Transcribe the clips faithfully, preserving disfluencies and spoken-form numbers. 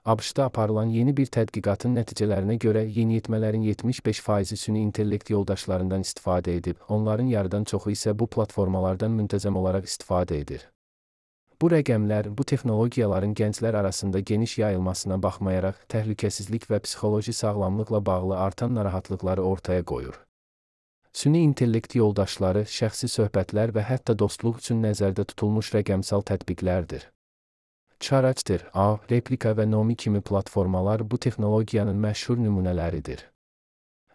ABŞ-da aparılan yeni bir tədqiqatın nəticələrinə görə yeniyetmələrin yetmiş beş faizi süni intellekt yoldaşlarından istifadə edib, onların yarıdan çoxu isə bu platformalardan müntəzəm olaraq istifadə edir. Bu rəqəmlər, bu texnologiyaların gənclər arasında geniş yayılmasına baxmayaraq, təhlükəsizlik və psixoloji sağlamlıqla bağlı artan narahatlıqları ortaya qoyur. Süni intellekt yoldaşları, şəxsi söhbətlər və hətta dostluq üçün nəzərdə tutulmuş rəqəmsal tətbiqlərdir. Chartster, A, Replika və Nomi kimi platformalar bu texnologiyanın məşhur nümunələridir.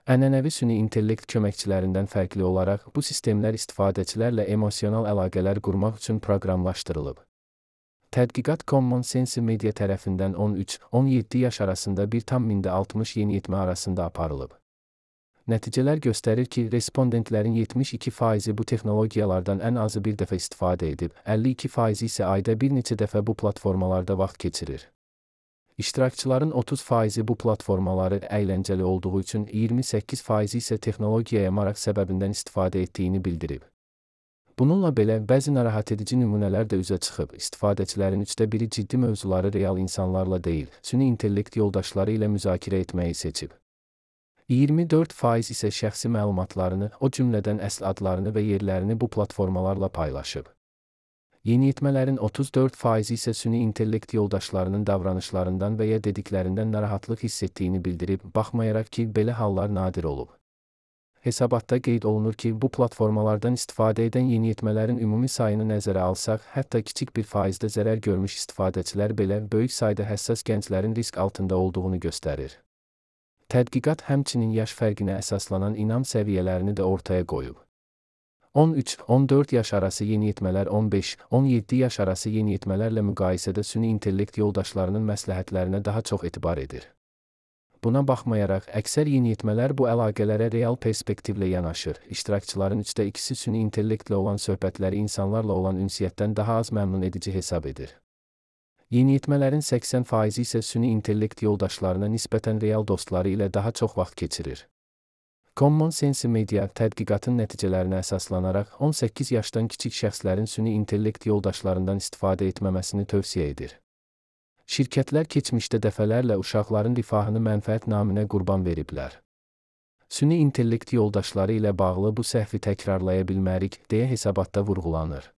Ənənəvi süni intellekt köməkçilərindən fərqli olaraq, bu sistemlər istifadəçilərlə emosional əlaqələr qurmaq üçün proqramlaşdırılıb. Tədqiqat Common Sense Media tərəfindən on üç on yeddi yaş arasında bir tam mində altmış yeniyetmə arasında aparılıb. Nəticələr göstərir ki, respondentlərin yetmiş iki faizi bu texnologiyalardan ən azı bir dəfə istifadə edib, əlli iki faizi isə ayda bir neçə dəfə bu platformalarda vaxt keçirir. İştirakçıların otuz faizi bu platformaları əyləncəli olduğu üçün, iyirmi səkkiz faizi isə texnologiyaya maraq səbəbindən istifadə etdiyini bildirib. Bununla belə, bəzi narahat edici nümunələr də üzə çıxıb, istifadəçilərin üçdə biri ciddi mövzuları real insanlarla deyil, süni intellekt yoldaşları ilə müzakirə etməyi seçib. iyirmi dörd faiz isə şəxsi məlumatlarını, o cümlədən əsl adlarını və yerlərini bu platformalarla paylaşıb. Yeniyetmələrin otuz dörd faizi isə süni intellekt yoldaşlarının davranışlarından və ya dediklərindən narahatlıq hiss etdiyini bildirib, baxmayaraq ki, belə hallar nadir olub. Hesabatda qeyd olunur ki, bu platformalardan istifadə edən yeniyetmələrin ümumi sayını nəzərə alsaq, hətta kiçik bir faizdə zərər görmüş istifadəçilər belə böyük sayda həssas gənclərin risk altında olduğunu göstərir. Tədqiqat həmçinin yaş fərqinə əsaslanan inam səviyyələrini də ortaya qoyub. on üç on dörd yaş arası yeniyetmələr on beş on yeddi yaş arası yeniyetmələrlə müqayisədə süni intellekt yoldaşlarının məsləhətlərinə daha çox etibar edir. Buna baxmayaraq, əksər yeniyetmələr bu əlaqələrə real perspektivlə yanaşır. İştirakçıların üçdə ikisi süni intellektlə olan söhbətləri insanlarla olan ünsiyyətdən daha az məmnun edici hesab edir. Yeniyetmələrin səksən faizi isə süni intellekt yoldaşlarına nisbətən real dostları ilə daha çox vaxt keçirir. Common Sense Media tədqiqatın nəticələrinə əsaslanaraq on səkkiz yaşdan kiçik şəxslərin süni intellekt yoldaşlarından istifadə etməməsini tövsiyə edir. Şirkətlər keçmişdə dəfələrlə uşaqların rifahını mənfəət naminə qurban veriblər. Süni intellekt yoldaşları ilə bağlı bu səhvi təkrarlaya bilmərik, deyə hesabatda vurğulanır.